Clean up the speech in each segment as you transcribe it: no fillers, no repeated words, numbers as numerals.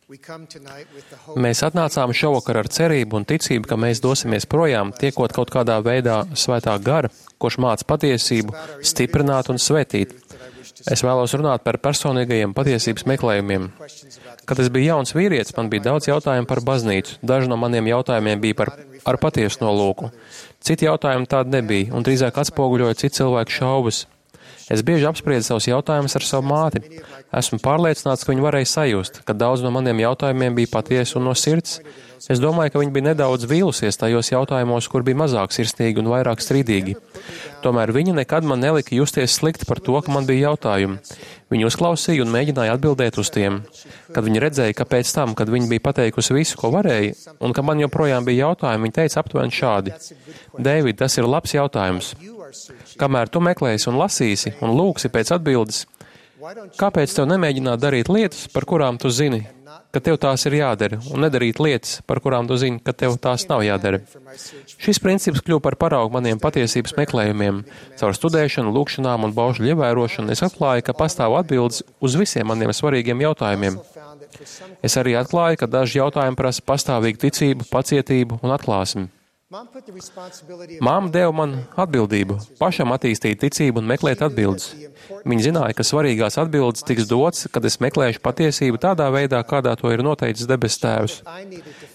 Mēs atnācām šovakar ar cerību un ticību, ka mēs dosimies projām, tiekot kaut kādā veidā svētā gara, kurš māca patiesību, stiprināt un svētīt. Es vēlos runāt par personīgajiem patiesības meklējumiem. Kad es biju jauns vīrietis, man bija daudz jautājumu par baznīcu. Daži no maniem jautājumiem bija ar patiesu nolūku. Citi jautājumi tādi nebija, un drīzāk atspoguļoja citu cilvēku šaubas. Es bieži apspriedu savus jautājumus ar savu māti. Esmu pārliecināts, ka viņi varēja sajust, ka daudz no maniem jautājumiem bija patiesi un no sirds. Es domāju, ka viņi bija nedaudz vīlusies tajos jautājumos, kur bija mazāk sirsnīgi un vairāk strīdīgi. Tomēr viņi nekad man nelika justies slikti par to, ka man bija jautājumi. Viņi uzklausīja un mēģināja atbildēt uz tiem. Kad viņi redzēja, ka pēc tam, kad viņi bija pateikusi visu, ko varēja, un ka man joprojām bija jautājumi, viņi teica aptuveni šādi: Dēvid, tas ir labs jautājums. Kamēr tu meklēsi un lasīsi un lūgsi pēc atbildes, kāpēc tev nemēģināt darīt lietas, par kurām tu zini, ka tev tās ir jādara, un nedarīt lietas, par kurām tu zini, ka tev tās nav jādara? Šis princips kļuva par paraugu maniem patiesības meklējumiem. Caur studēšanu, lūgšanām un baušļu ievērošanu es atklāju, ka pastāv atbildes uz visiem maniem svarīgiem jautājumiem. Es arī atklāju, ka daži jautājumi prasa pastāvīgu ticību, pacietību un atklāsmi. Māma deva man atbildību, pašam attīstīt ticību un meklēt atbildes. Viņa zināja, ka svarīgās atbildes tiks dotas, kad es meklēšu patiesību tādā veidā, kādā to ir noteicis debesu Tēvs.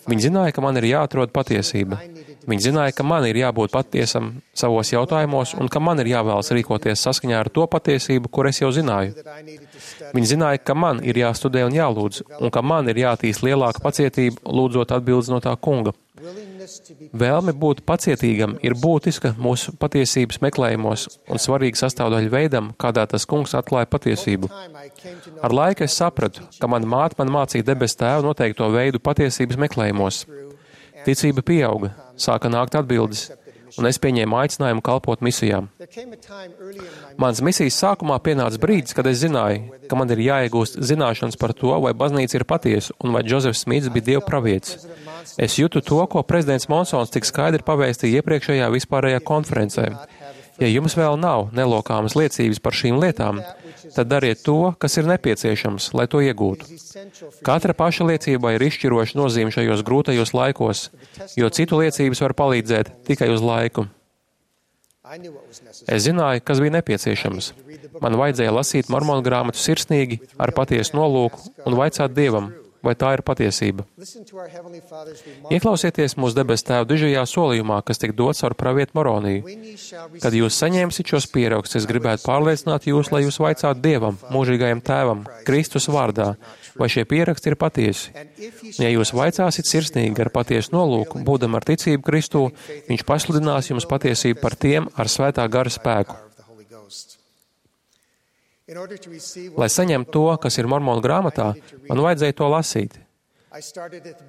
Viņa zināja, ka man ir jāatrod patiesība. Viņa zināja, ka man ir jābūt patiesam savos jautājumos un ka man ir jāvēlas rīkoties saskaņā ar to patiesību, kur es jau zināju. Viņa zināja, ka man ir jāstudē un jālūdz, un ka man ir jātīst lielāka pacietība, lūdzot atbildes no tā kunga. Vēlme būt pacietīgam ir būtiska mūsu patiesības meklējumos un svarīga sastāvdaļa veidam, kādā tas kungs atklāja patiesību. Ar laiku es sapratu, ka mana māte man mācīja debesu Tēvu noteikto veidu patiesības meklējumos. Ticība pieauga, sāka nākt atbildes, un es pieņēmu aicinājumu kalpot misijām. Mans misijas sākumā pienāca brīdis, kad es zināju, ka man ir jāiegūst zināšanas par to, vai baznīca ir patiesa un vai Džozefs Smits bija Dieva pravietis. Es jūtu to, ko prezidents Monsons tik skaidri pavēstīja iepriekšējā vispārējā konferencē. Ja jums vēl nav nelokāmas liecības par šīm lietām, tad dariet to, kas ir nepieciešams, lai to iegūtu. Katra paša liecība ir izšķiroša nozīme šajos grūtajos laikos, jo citu liecības var palīdzēt tikai uz laiku. Es zināju, kas bija nepieciešams. Man vajadzēja lasīt mormonu grāmatu sirsnīgi, ar patiesu nolūku un vaicāt Dievam, vai tā ir patiesība. Ieklausieties mūsu debesu Tēva dižajā solījumā, kas tiek dots ar pravietu Moroniju. Kad jūs saņemsiet šos pierakstus, es gribētu pārliecināt jūs, lai jūs vaicātu Dievam, mūžīgajam Tēvam, Kristus vārdā, vai šie pieraksti ir patiesi. Ja jūs vaicāsiet sirsnīgi ar patiesu nolūku, būdam ar ticību Kristū, viņš pasludinās jums patiesību par tiem ar svētā gara spēku. Lai saņemtu to, kas ir mormonu grāmatā, man vajadzēja to lasīt.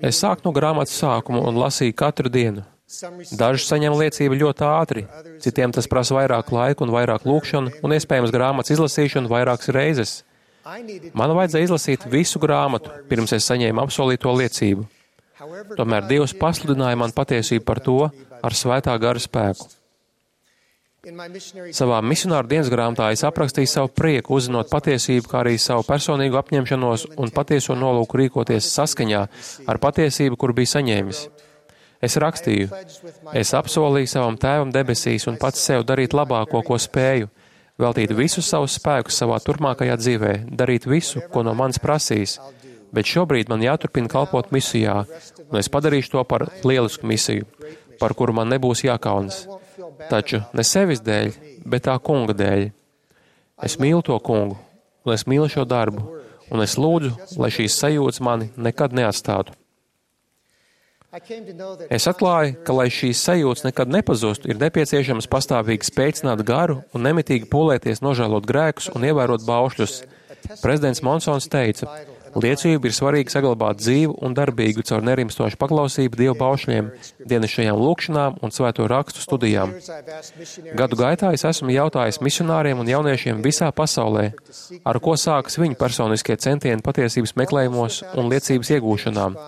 Es sāku no grāmatas sākuma un lasīju katru dienu. Daži saņem liecību ļoti ātri, citiem tas prasa vairāk laika un vairāk lūkšanu un iespējams grāmatas izlasīšanu vairākas reizes. Man vajadzēja izlasīt visu grāmatu, pirms es saņēmu apsolīto liecību. Tomēr Dievs pasludināja man patiesību par to ar svētā gara spēku. Savā misionāru dienas grāmatā es aprakstīju savu prieku, uzzinot patiesību, kā arī savu personīgu apņemšanos un patieso nolūku rīkoties saskaņā ar patiesību, kur biju saņēmis. Es rakstīju, es apsolīju savam Tēvam debesīs un pats sev darīt labāko, ko spēju, veltīt visus savus spēkus savā turpmākajā dzīvē, darīt visu, ko no manis prasīs, bet šobrīd man jāturpina kalpot misijā, un es padarīšu to par lielisku misiju, par kuru man nebūs jākaunas. Taču ne sevis dēļ, bet tā kunga dēļ. Es mīlu to kungu, un es mīlu šo darbu, un es lūdzu, lai šīs sajūtas mani nekad neatstātu. Es atklāju, ka, lai šīs sajūtas nekad nepazustu, ir nepieciešams pastāvīgi spēcināt garu un nemitīgi pūlēties nožēlot grēkus un ievērot baušļus. Prezidents Monsons teica, liecība ir svarīgi saglabāt dzīvu un darbīgu caur nerimstošu paklausību Dieva baušļiem, dienasčajām lūkšanām un svēto rakstu studijām. Gadu gaitā es esmu jautājis misionāriem un jauniešiem visā pasaulē, ar ko sākas viņu personiskie centieni patiesības meklējumos un liecības iegūšanām.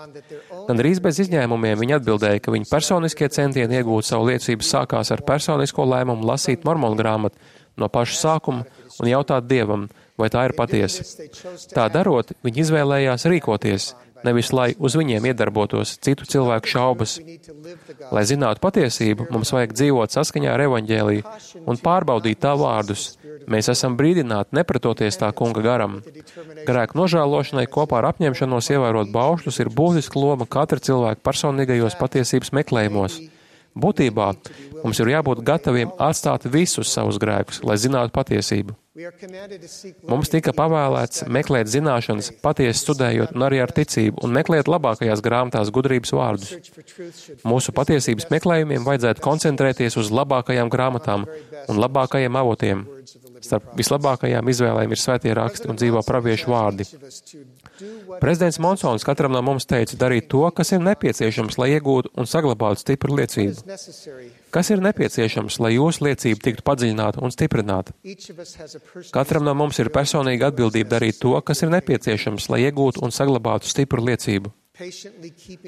Gandrīz bez izņēmumiem viņi atbildēja, ka viņu personiskie centieni iegūt savu liecību sākās ar personisko lēmumu lasīt mormonu grāmatu no paša sākuma un jautāt Dievam, vai tā ir patiesa. Tā darot, viņi izvēlējās rīkoties, nevis lai uz viņiem iedarbotos citu cilvēku šaubas. Lai zinātu patiesību, mums vajag dzīvot saskaņā ar evaņģēliju un pārbaudīt tā vārdus. Mēs esam brīdināti nepretoties tā kunga garam. Grēku nožēlošanai kopā ar apņemšanos ievērot baušļus ir būtiska loma katra cilvēka personīgajos patiesības meklējumos. Būtībā mums ir jābūt gataviem atstāt visus savus grēkus, lai zinātu patiesību. Mums tika pavēlēts meklēt zināšanas, patiesi studējot un arī ar ticību, un meklēt labākajās grāmatās gudrības vārdus. Mūsu patiesības meklējumiem vajadzētu koncentrēties uz labākajām grāmatām un labākajiem avotiem. Starp vislabākajām izvēlēm ir svētie raksti un dzīvo praviešu vārdi. Prezidents Monsons katram no mums teica darīt to, kas ir nepieciešams, lai iegūtu un saglabātu stipru liecību. Kas ir nepieciešams, lai jūsu liecība tiktu padziļināta un stiprināta? Katram no mums ir personīga atbildība darīt to, kas ir nepieciešams, lai iegūtu un saglabātu stipru liecību.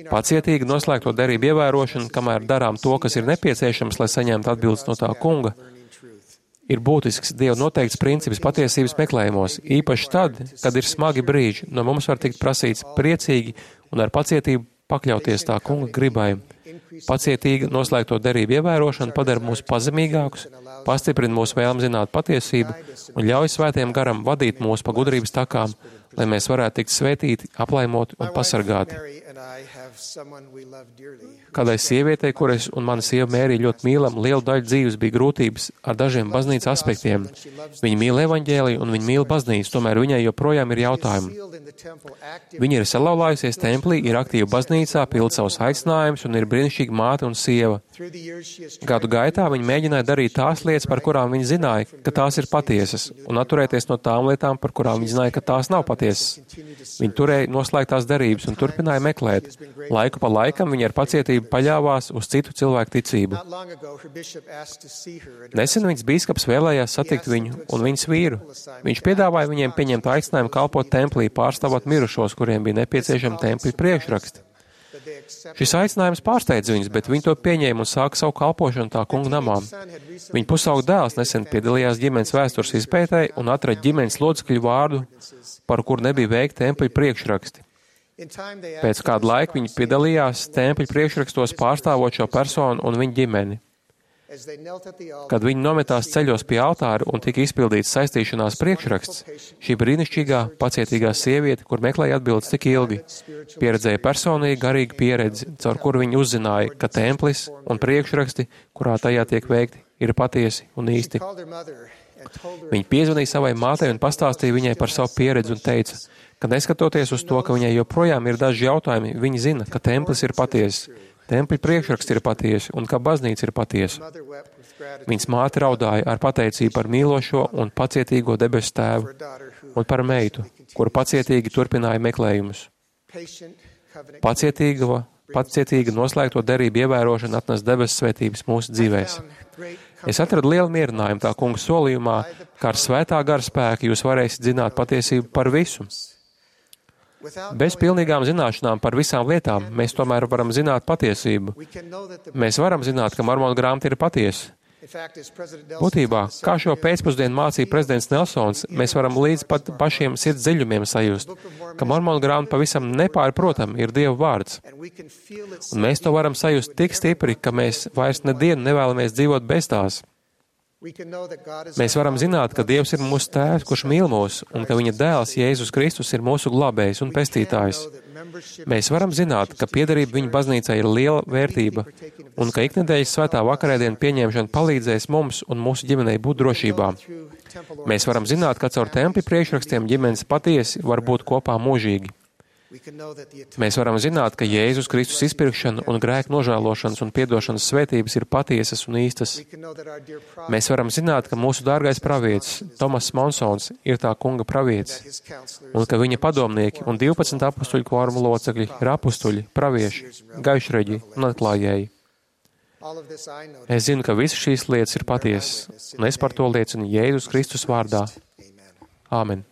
Pacietīgi noslēgto derību ievērošana, kamēr darām to, kas ir nepieciešams, lai saņemtu atbildes no tā kunga, ir būtisks Dieva noteikts princips patiesības meklējumos, īpaši tad, kad ir smagi brīži, no mums var tikt prasīts priecīgi un ar pacietību pakļauties tā kunga gribai. Pacietīga noslēgto derību ievērošana padara mūs pazemīgākus, pastiprina mūsu vēlmi zināt patiesību un ļauj svētiem garam vadīt mūs pa gudrības takām, lai mēs varētu tikt svētīti, aplaimoti un pasargāti. Kādai sievietei, kuras un mana sieva Mērija ļoti mīlam, lielu daļu dzīves bija grūtības ar dažiem baznīcas aspektiem. Viņa mīl evaņģēliju un viņa mīl baznīcu, tomēr viņai joprojām ir jautājumi. Viņa ir salauzājusies templī, ir aktīva baznīcā, pild savus aicinājumus un ir brīnišķīga māte un sieva. Gadu gaitā viņa mēģināja darīt tās lietas, par kurām viņa zināja, ka tās ir patiesas, un atturēties no tām lietām, par kurām viņa zināja, ka tās nav patiesas. Viņa turēja noslēgtās derības un turpināja meklēt. Laiku pa laikam viņa ar pacietību paļāvās uz citu cilvēku ticību. Nesen viņas bīskaps vēlējās satikt viņu un viņas vīru. Viņš piedāvāja viņiem pieņemt aicinājumu kalpot templī, pārstāvot mirušos, kuriem bija nepieciešami templi priekšraksti. Šis aicinājums pārsteidza viņus, bet viņi to pieņēma un sāka savu kalpošanu tā kunga namā. Viņa pusauga dēls nesen piedalījās ģimenes vēstures izpētē un atrada ģimenes locekļu vārdu, par kuru nebija veikti tempļu priekšraksti. Pēc kāda laika viņi piedalījās tempļu priekšrakstos pārstāvot šo personu un viņa ģimeni. Kad viņi nometās ceļos pie altāra un tika izpildīts saistīšanās priekšraksts, šī brīnišķīgā, pacietīgā sieviete, kur meklēja atbildes tik ilgi, pieredzēja personīgi garīgu pieredzi, caur kuru viņi uzzināja, ka templis un priekšraksti, kurā tajā tiek veikti, ir patiesi un īsti. Viņa piezvanīja savai mātei un pastāstīja viņai par savu pieredzi un teica, ka neskatoties uz to, ka viņai joprojām ir daži jautājumi, viņa zina, ka templis ir patiesis. Tempļu priekšraksti ir patiesi un ka baznīca ir patiesa. Viņas māte raudāja ar pateicību par mīlošo un pacietīgo debesu tēvu un par meitu, kura pacietīgi turpināja meklējumus. Pacietīga noslēgto derību ievērošana atnes debesu svētības mūsu dzīvēs. Es atradu lielu mierinājumu tā kunga solījumā, ka ar svētā gara spēku jūs varēsiet zināt patiesību par visu. Bez pilnīgām zināšanām par visām lietām mēs tomēr varam zināt patiesību. Mēs varam zināt, ka Mormonu grāmata ir patiesa. Būtībā, kā šo pēcpusdienu mācīja prezidents Nelsons, mēs varam līdz pat pašiem sirds dziļumiem sajust, ka Mormonu grāmata pavisam nepārprotami ir Dieva vārds. Un mēs to varam sajust tik stipri, ka mēs vairs nedienu nevēlamies dzīvot bez tās. Mēs varam zināt, ka Dievs ir mūsu tēvs, kurš mīl mūs, un ka viņa dēls Jēzus Kristus ir mūsu glābējs un pestītājs. Mēs varam zināt, ka piederība viņa baznīcai ir liela vērtība, un ka iknedēļas svētā vakarēdienu pieņemšana palīdzēs mums un mūsu ģimenei būt drošībā. Mēs varam zināt, ka caur tempļu priekšrakstiem ģimenes patiesi var būt kopā mūžīgi. Mēs varam zināt, ka Jēzus Kristus izpirkšana un grēku nožēlošanas un piedošanas svētības ir patiesas un īstas. Mēs varam zināt, ka mūsu dārgais pravietis, Tomas Monsons, ir tā kunga pravietis, un ka viņa padomnieki un 12 apustuļu kvoruma locekļi ir apustuļi, pravieši, gaišreģi un atklājēji. Es zinu, ka visas šīs lietas ir patiesas, un es par to liecinu Jēzus Kristus vārdā. Āmen.